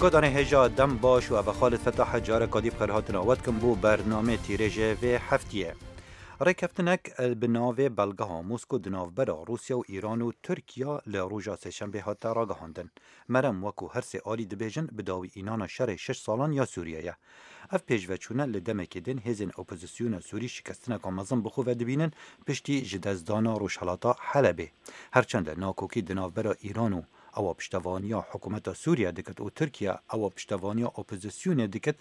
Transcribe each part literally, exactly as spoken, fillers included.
Godanê hêja dem baş û ev e Xalid Fetah e, careka dî bi xêrhatina we dikim bo bernamê tîrêjê vê heftiyê. Rêkeftinek bi navê Belgeha Mosko di navbera Rûsya û Îran û Tirkiya li roja sêşembê hate ragihandin. Merem wekû her sê alî dibêjin bi dawî înana şerê şeş salan ya Sûriye ye. Ev pêşveçûne li demekê din hêzên opozisyona Sûrî şikestineka mezin bi xwe ve dibînin piştî ji destdana rojhelata Helebê. Herçende nakokî di navbera Îran û ewa piştevaniya hikûmeta Sûriye dikit û Tirkiye ewa piştevaniya opozisyonê dikit,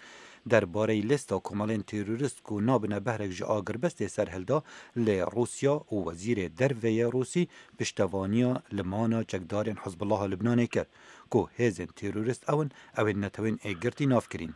derbarey lêsta komelên terorîst ku nabine behrek ji agirbestê serhilda, lê Rûsya û wezîrê derve yê Rûsî piştevaniya limana çekdarên Hizbullaha Libnanê kir ku hêzên terorîst ew in, ew ên netewên êkgirtî nav kirîn.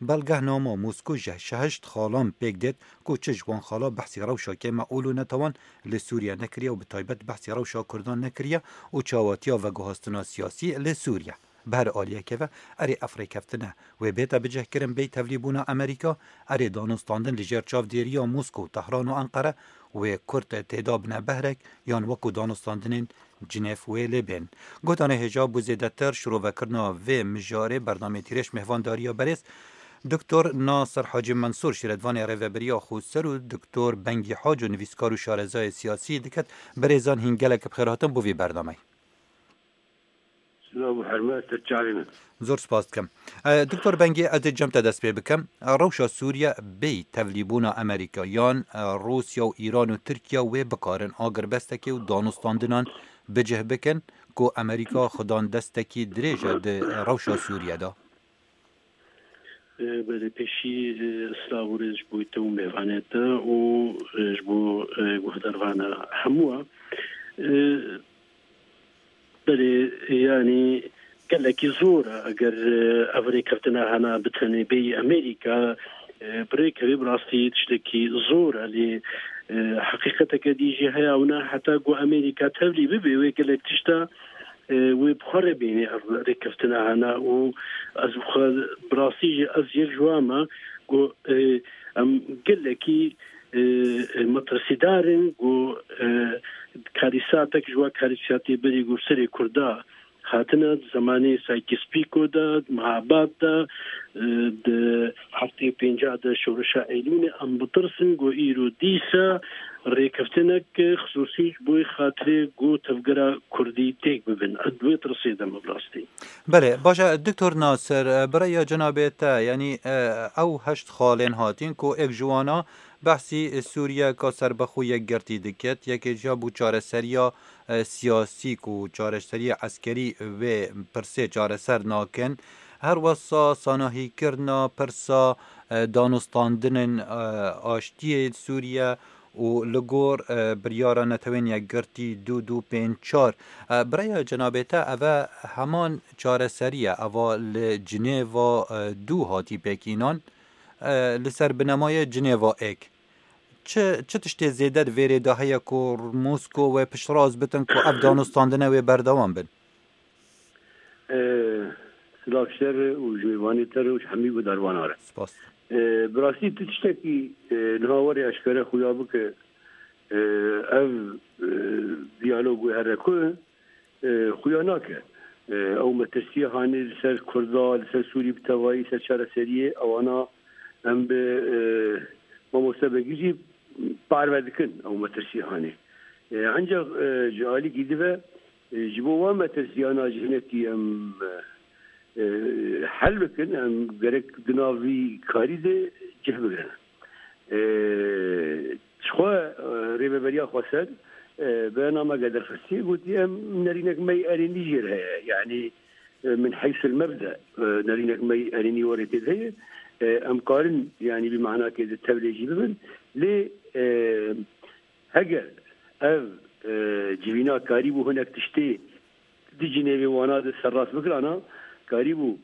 Belgehnama Mosko ji heşt xalan pêk dêt ku çi ji wan xala behsî rewşa kêmeûl û netewan li Sûriye nekiriye û bi taybet behsî rewşa Kurdan nekiriye û çawatiya veguhastina siyasî li Sûriye. Bi her aliyekê ve, erê ev rêkeftine wê bête bicihkirin bêyî tevlîbûna Amerîka, erê danûstandin li jêr çavdêriya Mosko, Tehran û Enqere wê Kurd têda bine behrek yan wekû danûstandinên Cinêv wê lê bên. Gotanê hêja bo zêdetir şirovekirina vê mijarê bernamê tîrêj mêhvandariya berêz Doktor Nasir Hacî Mensûr, şîretvanê Rêveberiya Xweser û Doktor Bengî Haco, nivîskar û şarezayê siyasî diket. Berêzan hîn gelek bi xêr hatin bo vî bernameyê. Silav û hurmet, te çavê min. Zor spas dikim. E, Doktor Bengî, ez dê cem te dest pê bikim. E, rewşa Sûriye bêyî tevlîbûna Amerîka yan, e, Rûsya û Îran û Tirkiye wê bikarin agirbestekê û danûstandinan bicih bikin ku Amerîka xudan destekî dirêj e di rewşa Sûriye de. E, belê pêşî, e, silav û rêz ji bo te û mêvanê te û, e, ji bo, e, guhdarvana hemû. E, Belê, yanî gelekî zor e eger, e, ev rêkeftina hena bi tenê bêyî Amerîka, e, bi rêkevê bi rastî tiştekî zor e, lê, e, heqîqeteke dî jî heye, ew ne heta ku Amerîka tevlî bibe, wê gelek tişta, e, wê bi xwe re bîne ev rêkeftina hena û ez bi xwe bi rastî jî ez yek ji wan me ku, e, em gelekî, e, e, metirsîdar in ku, e, karîsatek ji wa karîsatê berî ku serê Kurda hatine, di zemanê Sykes-Picot de, di Mehabad de, e, di heftê pênca de şorişa Eylûlê, em bitirsin ku îro dîsa rêkeftinek xisûsî ji bo xatirê ku tevgera Kurdî têk bibin. Ez di wê tirsê de me bi rastî. Belê, baş e, Doktor Nasir, e, bi rêya cenabê te, yanî, e, ew heşt xalên hatîn ku êk ji wana behsî Sûriyeka serbixwe yekgirtî dikit, yekê jî ya bû çareseriya, e, siyasî ku çareseriyê eskerî wê pirsê çareser nakin. Her wesa sanahîkirina pirsa, e, danûstandinên, e, aştiyê Sûriye û li gor, e, biryara Netewên Yekgirtî du du pênc çar. E, bi rêya cenabê te, ev e heman çareserî ye, eva li Cinêva, e, du hatî pêkînan, e, li ser binemayê Cinêva êk. Çi, çi tiştê zêde di vê rê de heye ku Mosko wê piştrast bitin ku ev danûstandine wê berdewam bin? E, Silav ji te re û ji mêvanê te re û ji hemî guhdarvana re. Spas. E, bi rastî tu tiştekî, e, niha werê eşkere xuya bike, e, ev, e, diyalog wê here ku, e, xuya nake. E, ew metirsiya hanê li ser Kurda, li ser Sûrî bi tevayî, ser çareseriyê, ewana em bi, e, Mamoste Begî jî parve dikin ew metirsiya hanê. E, encax, e, ji alîkî dive, e, ji bo wan metirsiyana ji hinekî em, e, e, hel bikin, em gerek di nav vî karî de cih bigrin. E, Jixwe, e, Rêveberiya Xweser, e, beyanameke derxistiye, gotiye, em nerînek me yê erênî jê re heye. Yanî, e, min heysul mebde, e, nerînek me yê erênî werê tê de heye. E, em karin, yanî, bi manakê de tevlê jî bibin. Lê, e, heger ev, e, civîna karîbû hinek tiştê di Cinêvê wana de serrast bikirana, karîbû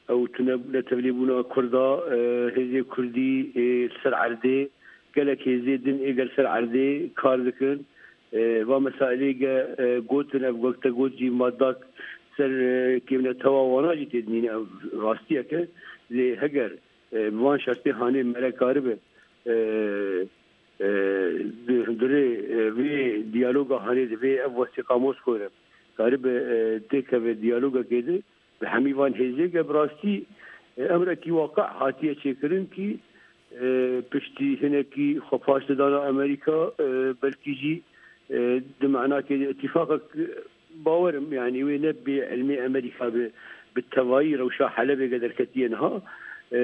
ew tune netevlîbûna Kurda, e, hêzê Kurdî, e, li ser erdê, gelek hêzê din ê gel ser erdê kar dikin. E, va mesailê ge, e, gotin, ev wek te got jî madak ser, e, kêmnetewa wana jî tê dinîne, ev rastiyek e. Lê heger, e, bi van şertê hanê mere karibe, e, e, di hundirê, e, vê diyaloga hanê de, vê ev wesîqa Moskoyê re karibe, e, têkeve diyalogekê de, Bi hemî van hêzê ge bi rastî, e, emrekî waqe hatiye çêkirin kî, e, piştî hinekî xwe paş didana Amerîka, e, belkî jî, e, di manakê de îtîfaqek, e, bawer im, yanî wê ne bê ilmê Amerîka bi, bi tevayî rewşa Helebê ge derketiye niha. E,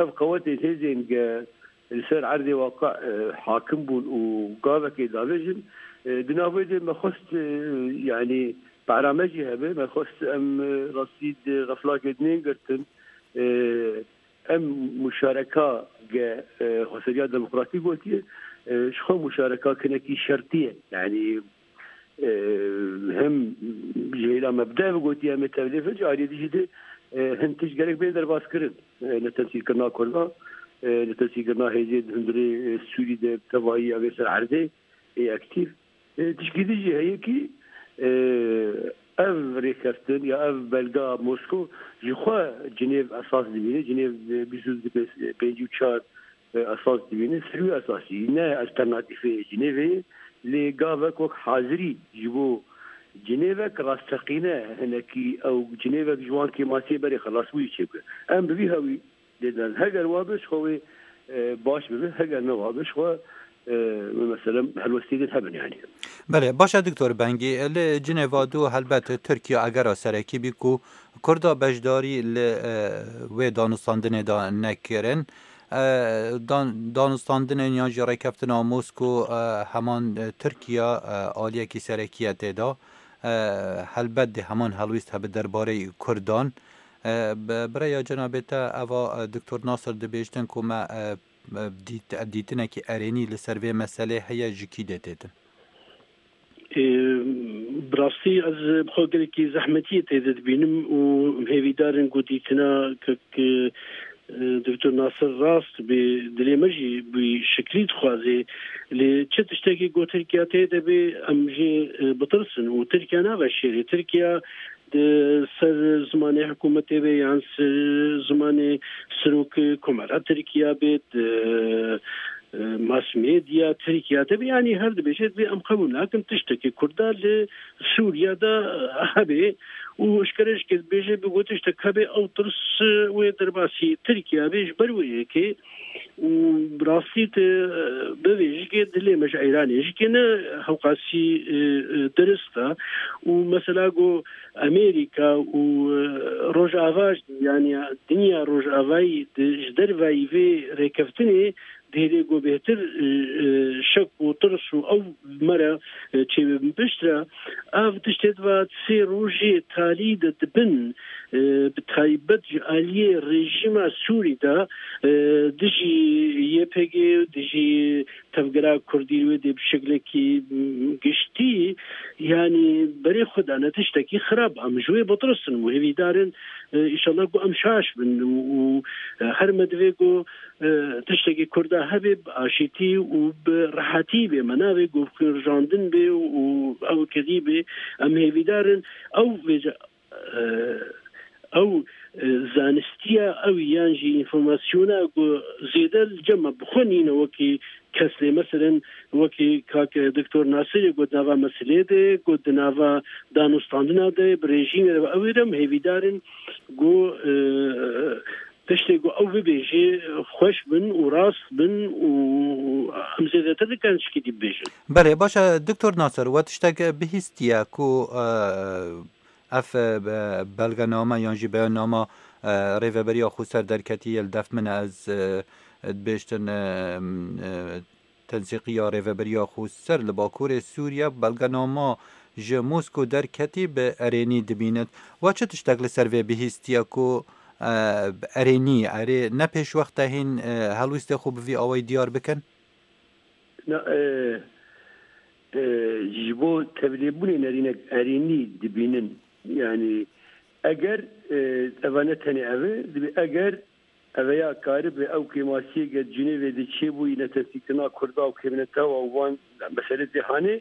ev qewetên hêzên ge li ser erdê waqe, e, hakim bûn û gavekê davêjin. E, di navê de me xwest, e, yanî para me jî hebe, me xwest em, e, rastî di xeflakê dinên girtin. E, em muşareka ge, e, xweseriya demokratîk gotiye, e, ji xwe muşareka kinekî şertî ye. Yanî, e, hem ji hêla mebde ve gotiye em ê tevlê vin, ji aliyê dijî de, e, hin tişt gerek bên derbas kirin. E, li tesîrkirina Kurda, e, li tesîrkirina hêzê di hundirê, e, Sûrî de tevayî ya vê ser erdê ê aktîf. E, tişkî din jî heye kî, e, ev rêkeftin ya ev belga Moskow ji xwe Cinêv esas dibîne. Cinêv, e, bîst û pêncî û çar, e, esas dibîne. Ser wî esasî ne alternatîfê Cinêvê ye. Lê gavek wek hazirî ji bo Cinêvek rasteqîne hinekî ew Cinêvek ji wan kêmasiyê berê xelasbûyî çêbike. Em bi vî hewî lê didan. Heger wa be, ji xwe wê, e, baş bibe, heger ne wa be, ji xwe, e, mesela helwestî din hebin, yanî. Belê, baş e, Doktor Bengî, li Cinêva du helbet Tirkiye agera serekî bî ku Kurda beşdarî li, e, wê danûstandinê de nekirin. E, dan-, danûstandinên yan jî rêkeftina Mosko, e, heman, e, Tirkiye, e, aliyekî serekî ye tê de. E, helbet dê heman helwîst hebe derbarê Kurdan. E, bi, bi rêya cenabê te eva, e, Doktor Nasir dibêjtin ku me, e, e, dît-, dîtinekî erênî li ser vê meselê heye, ji kî dê têtin? E, bi rastî ez bi xwe gelekî zehmetiyê tê de dibînim û hêvîdar in ku dîtina kek, e, Doktor Nasir rast bê, dilê me jî bi şiklî dixwaze. Lê çi tiştekî ku Tirkiye tê de bê, em jê, e, bitirsin û Tirkiye naveşêrê. Tirkiye di ser zimanê hikûmetê be yan ser zimanê serokê Komara Tirkiye be, di, e, mass media Tirkiye de be, yanî her dibêje, dibê em qebûl nakin tiştekî Kurda li Sûriye de, e, hebe û eşkere jî dibêje, bi ku tiştek hebe ew tirs, e, wê derbasî Tirkiye be, ji ber wê yekê û bi rastî tu, e, bivê jikê dilê me ji Îranê jikê ne hewqasî, e, e, dirist e û mesela ku Amerîka û, e, Rojava, yanî dinya Rojavayî di, ji dervayî vê rêkeftinê dihêlê ku bêhtir, e, e, şek û tirs û ew me re, e, çêbibin piştre. Ev tiştê di va sê rojê talî de dibin, e, bi taybet ji aliyê rejîma Sûrî de, e, dijî Y P G, dijî tevgera Kurdî wê dê bi şeklekî, m, giştî, yanî berê xwe dane tiştekî xirab. Em ji wê bitirisin û hêvîdar in, e, înşallah ku em şaş bin û, û, e, her me divê ku, e, tiştekî Kurda hebe bi aşîtî û bi rehetî bê. Me navê ku bi xwînrijandin bê û ew kedî bê. Em hêvîdar in ew vêca, e, ew, e, zanistiya ew yan jî înformasyona ku zêde li cem me bi xwe nîne wekî kes lê, meselen, wekî kak Doktor Nasirê ku di nava meselê de, ku di nava danûstandina de, bi rejîmê re, ew ê re em hêvîdar in ku, e, tiştê ku ew bibêje xweş bin û rast bin û em zêdetir dikarin tişkî dî bibêjin. Belê, baş e, Doktor Nasir, we tiştek bihîstiye ku, e, ev, e, be-, belgename yan jî beyannama, e, Rêveberiya Xweser derketî ye, li def min e, ez, e, dibêjtin, e, e, tensîqiya Rêveberiya Xweser li Bakurê Sûriye, belgenama ji Mosko derketî bi erênî dibînit. We çi tiştek li ser vê bihîstiye ku, e, bi erênî, erê ne pêşwexte hîn, e, helwîstê xwe bi vî awayî diyar bikin? Na, e, e, ji bo tevlêbûnê nerînek erênî dibînin. Yanî eger, e, eva ne tenê ev e, dibê eger eveya karibe ew kêmasiyê ge Cinêvê de çêbûyî netesîkirina Kurda û kêmnetewa û van meselê cîhanê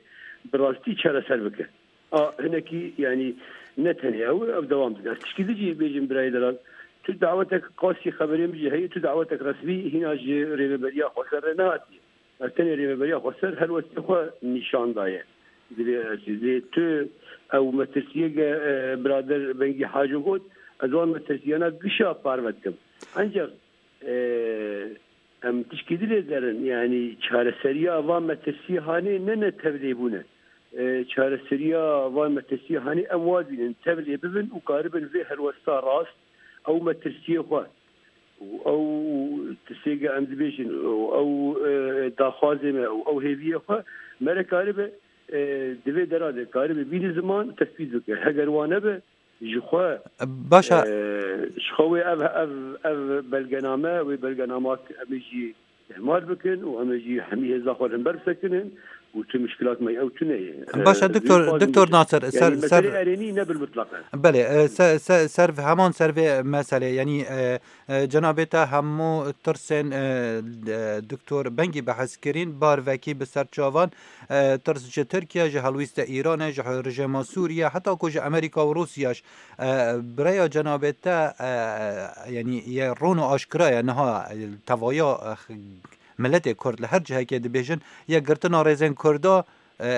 bi rastî çareser bike. A, hinekî, yanî ne tenê ew, ew dewam dike. Ez tişkî din jî bêjim birayê delal. Tu dawetek qasî xeberê min jî heye, tu dawetek resmî hîna ji Rêveberiya Xweser re nehatiye. Ez tenê Rêveberiya Xweser helwestê xwe nîşan daye. Divê ez lê tu ew metirsiyê ge, e, birader Bengî Haco got, Ez wan metirsiyana gişa parve dikim. Ancak, e, em tişkî dilê derin, yani çareseriya van metirsiyê hanê ne ne tevlê bûne. E, çareseriya van metirsiyê hanê em wa dînin, tevlê bibin û karibin vê helwesta rast, ew metirsiyê xwe û ew tirsêge em dibêjin û ew, e, daxwazê me û ew hêviyê xwe mere karibe, e, di vê dera de karibe bîne ziman, tespît bike. Heger wa nebe, ji xwe, Baş e, e, ji xwe wê ev, ev, ev belgename, wê belgenama em ê jî ihmal bikin û em ê jî hemî hêza xwe li hember bisekinin û tu muşkilat me ew tune ye. Baş e, E, Doktor, vê xwazim Doktor bêjim. Nasir, Yani ser, ser, meselê erênî ne bil mutlaq e. Belê, e, se-, se-, ser, heman ser vê meselê, yani, e, e, cenabê te hemû tirsên, e, e, Doktor Bengî behs kirîn, bar vekî bi ser çavan, e, tirs ji Tirkiye, ji helwîste Îranê, ji rejêma Sûriye, heta ku ji Amerîka û Rûsya jî. E, bi rêya cenabê te, e, yanî ye rûn û aşkira ye niha, e, tevaya, e, x-, miletê Kurd li her cihekê dibêjin, ye girtina rêzên Kurda, e,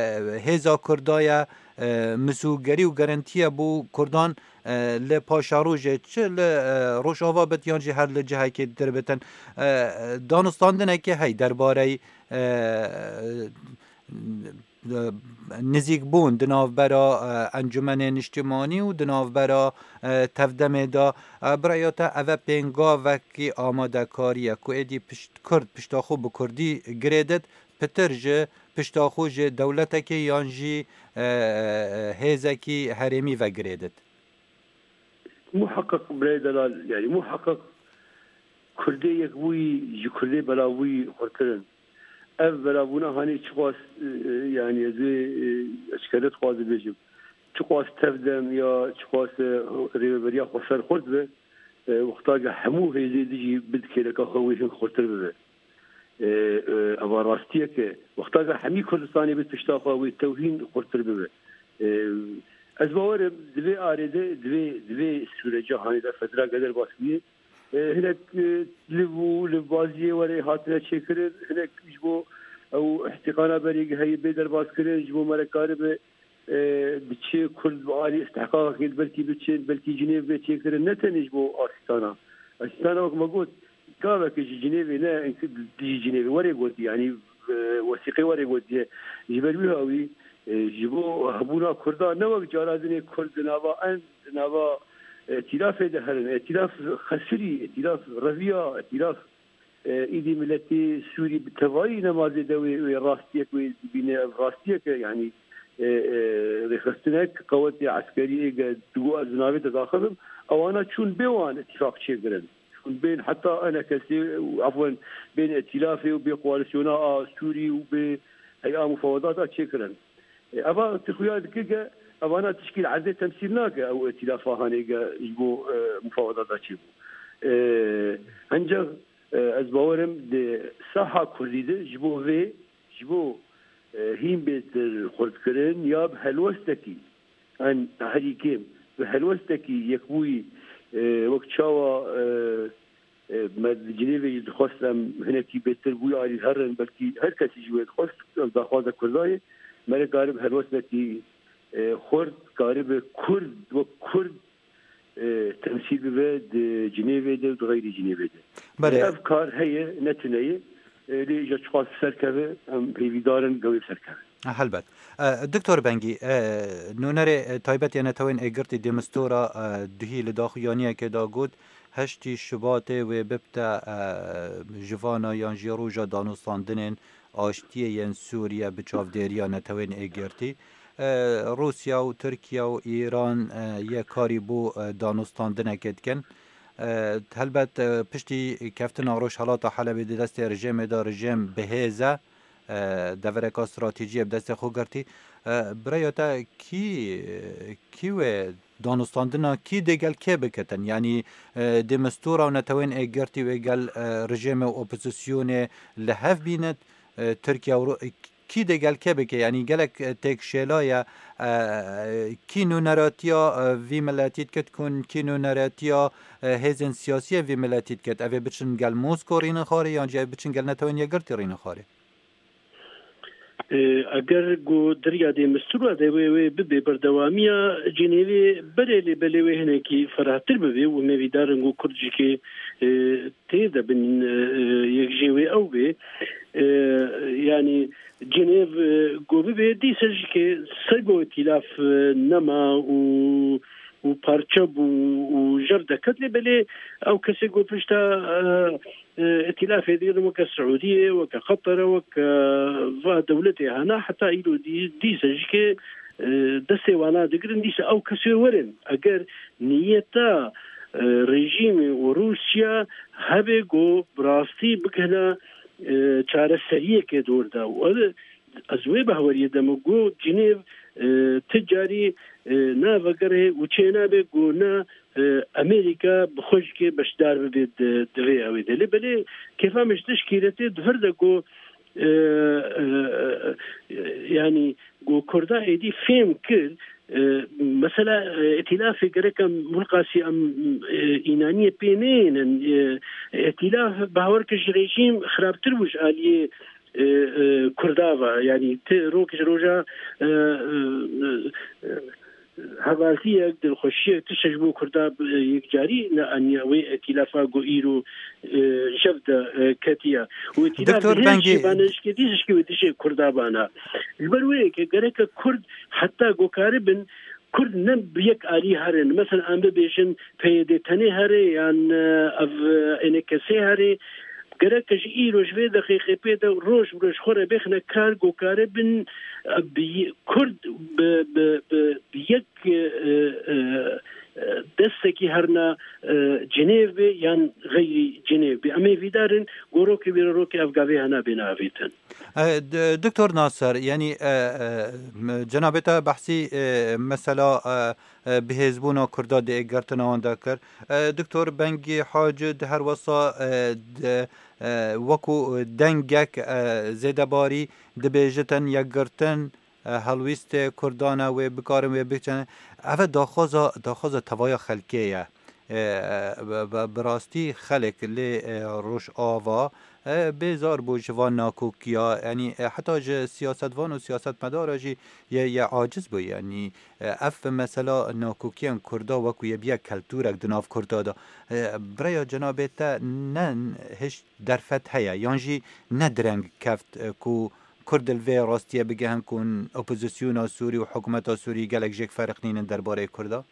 hêza Kurda ye, e, misûgerî û gerentiye bo Kurdan, e, li paşerojê, çi li, e, Rojava bit yan jî her li cihekê dir bitin. E, danûstandinekê hey derbarey, e, nizîkbûn di navbera, e, Encûmenê Niştimanî û di navbera, e, Tevdemê de, e, bi rêya te eve pêngavekî amadekarî ye ku êdî pişt-, Kurd pişta xwe bi Kurdî girêdit, pitir ji pişta xwe ji dewletekê yan jî, e, hêzekî herêmî vegirêdit? Muheqeq birayê delal, yani muheqeq Kurdê yekbûyî ji Kurdê belavbûyî xurtir in. Ev belavbûna hanê çiqas, e, e, yani ez ê, e, eşkere dixwazim bêjim. Çiqas tevdem ya çiqas, e, rêveberiya xweser xurt be, e, wexta ke hemû hêzê dijî bid kêleka xwe wê hin xurtir bibe. E, e, eva rastiyek e. Wexta ke hemî Kurdistanê bid pişta xwe wê tewhîn xurtir bibe. E, ez bawerim di vê arê de, di vê, di vê sûreca hanê de federa geder baş bûye. E, hinek, e, liv û livbaziyê were hatine çêkirin, hinek ji bo ew îhtîqana berê heye bê derbas kirin, ji bo me re karibe, e, bi çi Kurd bi alî îstihqaqekê belkî biçin, belkî Cinêv bê çêkirin, ne tenê ji bo Asîstana. Asîstana wek me got, gaveke ji Cinêvê ne, dijî Cinêvê were gotî, yanî, e, wesîqê were gotiye. Ji ber wî hawî, e, ji bo hebûna Kurdan ne wek cara dinê Kurd di nava en, di nava, e, îtîlafê de herin. Îtîlaf xesirî, îtîlaf reviya, îtîlaf, e, îdî miletê Sûrî bi tevayî nemazê de wê, wê rastiyek wê dibîne, ev rastiyek e, yanî, e, e, rêxistinek qewetê eskerî êge digo ez di navê de daxil im, ewana çûn bê wan îtîfaq çêkirin. Çûn bên heta enekesê, afwen, bên îtîlafê û bê koalîsyona a Sûrî û bê heya mufawedata çêkirin. E, eva tu xuya dike ke evana tişkî li erdê temsîl nake ew îtîlafa hanê ke ji bo, e, mufawedata çêbû. E, encax, e, ez bawerim di saha Kurdî de ji bo vê, ji bo, e, hîn bêtir xurtkirin ya bi helwestekî, en herî kêm bi helwestekî yekbûyî, e, wek çawa, e, e, me di Cinêvê jî dixwest em hinekî bêtir bûyî alî herin, belkî her kesî ji wê dixwest, ev daxwaza Kurda ye, me re karibe helwestekî, e, xurt, karibe Kurd wek Kurd, e, temsîl bibe di Cinêvê de û di xeyrî Cinêvê de. Belê. Ev kar heye, ne tune ye. E, lê îja çiqas bi ser keve, em hêvîdar in, gewê bi ser keve. Helbet. E, Doktor Bengî, e, nûnerê, e, taybet ya Netewên Êgirtî Dêmistora, e, duhî li daxuyaniyekê de got, heştî Şubatê wê bibte, e, ji vana yan jî roja danûstandinên aştiyê yên Sûriye bi çavdêriya Netewên Êgirtî. E, Rûsya û Tirkiye û Îran, e, yê karî bo, e, danûstandinekê dikin. E, helbet, e, piştî keftina Rojhelata Helebê di destê rejêmê de, rejêm bi hêz e, e, devereka stratejî ye bi destê xwe girtî. E, bi rêya te kî, kî wê danûstandina kî dê gel kê bikitin? Yanî, e, Dêmistura û Netewên Êgirtî wê gel, e, rejêmê û opozisyonê li hev bînit, e, Tirkiye û Rû-, kî dê gel kê bike? Yanî gelek, e, têkşêla ye, e, kî nûneratiya, e, vî miletî dikit kun, kî nûneratiya, e, hêzên siyasî ye vî miletî dikit? Ev ê biçin gel Mosko rînixarê yan jî ev biçin gel Netewên Yekgirtî rînixarê? E, eger ku derya dê mistûra de wê, wê bibê berdewamiya Cinêvê, belê lê belê wê hinekî ferahtir bibê û me vîdarin ku Kurd jikê, e, tê de bin, e, e, yek jê wê ew bê. E, yanî Cinêv, e, ku bibê dîse jikê ser ku îtîlaf, e, nema û, û parçe bû û jev deket lê belê ew kesê ku pişta, e, e, îtîlafê digirin weke Siûdiyê, weke Qetere, weke va dewletê hena heta îro dî-, dîse jikê, e, destê wana digirin dîse ew kesê werin. Eger niyeta, e, rejîmê û Rûsya hebe ku bi rastî bikihine, e, çareseriyekê dor de. Û ev, ez wê behweriyê de me got, Cinêv, e, ti carî, e, navegerê û çênabe ku ne, e, Amerîka bi xwe jikê beşdar bibe di, di vê ewê de. Lê belê kêfa min ji tişkî re tê di vir de ku, e, e, e, yanî ku Kurda êdî fêm kir, e, mesela, e, îtîlafê gerek em wilqasî em, e, înaniyê pê neyênin, e, îtîlaf bawer kir ji rejîm xirabtir bû ji aliyê, e, e, Kurda ve. Yanî ti rok ji roja, e, e, e, hevaltiyek, dilxweşiyek, tiştek ji bo Kurda, e, yekcarî neaniye wê îtîlafa ku îro, e, jev de, e, ketiye. Û îtîlaf Doktor bi hê Bengî, jî bane jikê dî jikê wê dijê Kurda bana. Ji ber wê yekê gereke Kurd heta ku karibin Kurd ne bi yek alî herin. Mesela em bibêjin P Y D tenê here yan, e, ev, e, N K S here. Gereke ji îro ji vê deqîqê pê de roj bi roj xwe re bêxine kar ku karibin, e, bi, Kurd bi, bi, bi, bi yek, e, e, e, destekî herna, e, Cinêvê yan xeyrî Cinêvê. Em ê vîdarin gorokê wê rokê ev gavê hena bêne avêtin. E, d-, Doktor Nasser, yanî, e, e, m-, cenabê te behsî, e, mesela, e, e, bihêzbûna Kurda di êgirtina wan de kir. E, Doktor Bengî Haci di her wesa, e, d-, e, wekû dengek, e, zêdebarî dibêjitin yekgirtin, e, helwîstê Kurdan e, wê bikarin, wê biçin. Ev e daxwaza, daxwaza tevaya xelkê ye. E, e, bi, bi, bi rastî xelk lê, e, Rojava, e, bêzar bû ji van nakokiya, yanî, e, heta ji siyasetvan û siyasetmedara jî ye, ye aciz bû, yanî, e, ev mesela nakokiyên Kurda wekû ye biye keltûrek di nav Kurda de. E, bi raya cenabê te ne hiş derfet heye, yan jî ne direng keft, e, ku Kurd li vê rastiyê bigihin ku opozisyona Sûrî û hikûmeta Sûrî gelek jêk feriq nînin derbarê Kurda?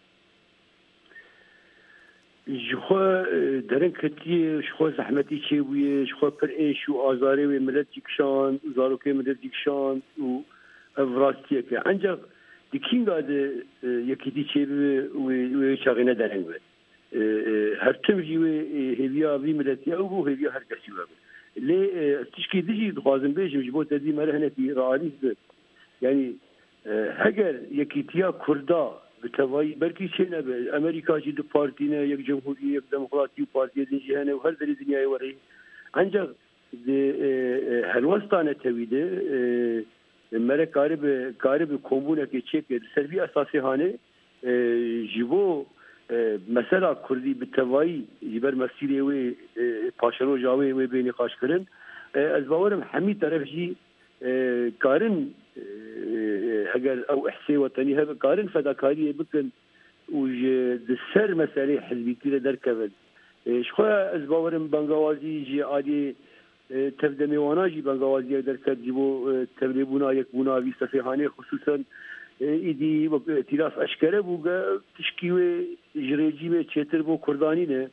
Ji xwe, e, dereng ketiye, ji xwe zehmetî çêbûye, ji xwe pir êş û azarê wê milet jî kişand, zarokê milet jî kişand û ev rastiyek e. Encax di kînga de, e, yekîtî çêbibe wê, wê çaxê ne dereng be. E, e, her tim jî wê, e, hêviya vî miletî ew bû, hêviya her kesî we bû. Lê, e, ez tişkî din jî dixwazim bêjim, ji bo te dî me re hinekî realîst be. Yanî, e, heger yekîtiya Kurda bi tevayî belkî çênebe, Amerîka jî du partî ne, yek cumhurî, yek demokratî û partiyê din jî hene û her derê dinyayê were. Encax di, e, e, helwesta netewî de, e, mere karibe, karibe kombûnekê çêke. Li ser vî esasê hanê, e, ji bo, e, mesela Kurdî bi tevayî ji ber mesîrê wê, e, paşeroja wê, wê bê nîqaşkirin. E, ez bawerim hemî teref jî, e, karin, e, e, heger ew ihsê wetenî hebe, karin fedakariyê bikin û ji di ser meselê hizbîtî re derkevin. E, ji xwe ez bawerim bangawazî ji aliyê, e, tevdemê wana jî bangawaziyek derket ji bo, e, tevlêbûna yekbûna vî sefê hanê, xisûsen, e, îdî wek îtîlaf eşkere bû, ge tişkî wê ji rejîmê çêtir bo Kurdanî ne.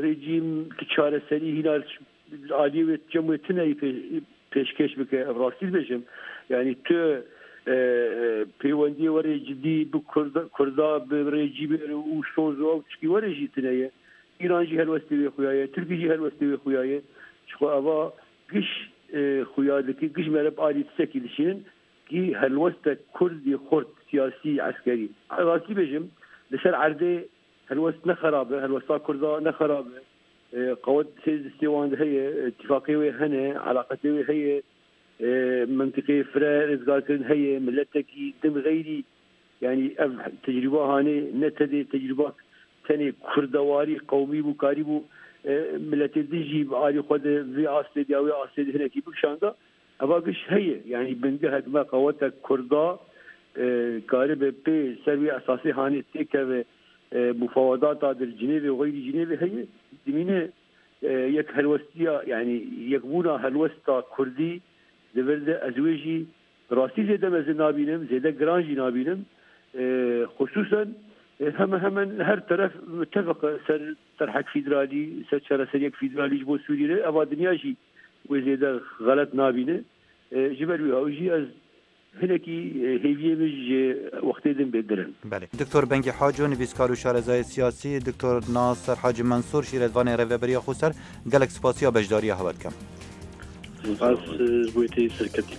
Rejîm tu çareserî hîna aliyê wê cem wê tune yî pê-, pêşkêş bike, ev rastî dibêjim. Yanî tu, e, e, pêwendiyê werê cidî bi Kurda, Kurda bi rejîmê re û soz û ew tişkî werê jî tune ye. Îran jî helwestê wê xuya ye, Tirkî jî helwestê wê xuya ye. Ji xwe eva giş, e, xuya dike, giş mere bi alî tiştekî dişînin, kî helwestek Kurd yê xurt, siyasî, eskerî. Rastî bêjim, li ser erdê helwest ne xerab e, helwesta Kurda ne xerab e. E, qewet hêz destê wan de heye, e, tifaqê wê hene, elaqetê wê heye, e, mentiqê fire rizgarkirin heye, miletekî din xeyrî, yanî ev tecrûba hanê ne tedê tecrûba tenê kurdewarî, qewmî bû, karî bû, e, miletê din jî bi alî xwe de vê astê de ya wê astê de hinekî bikişanda. Eva giş heye, yanî bingehek me qeweta Kurda, e, karibe pê ser wî esasê hanê têkeve, e, mufawedata dir Cinêvê û xeyrî Cinêvê heye. Dimîne, e, yek helwestiya, yanî yekbûna helwesta Kurdî di vir de ez wê jî rastî zêde mezin nabînim, zêde giran jî nabînim. E, xusûsen, e, hemen hemen her teref mutefeq e ser terhek fîderalî, ser çareseriyek fîderalî ji bo Sûriyê re. Eva dinya jî wê zêde xelet nabîne. E, ji ber wî hewcî ez hinekî, e, hêviyê min ji wextê din bêdir in. Belê. Doktor Bengî Haco, nivîskar û şarezayê siyasî, Doktor Nasir Hacî Mensûr, şîretvanê Rêveberiya Xweser, gelek spasiya beşdariya hewe dikim. Spas, e, ji bo wê tê serketî.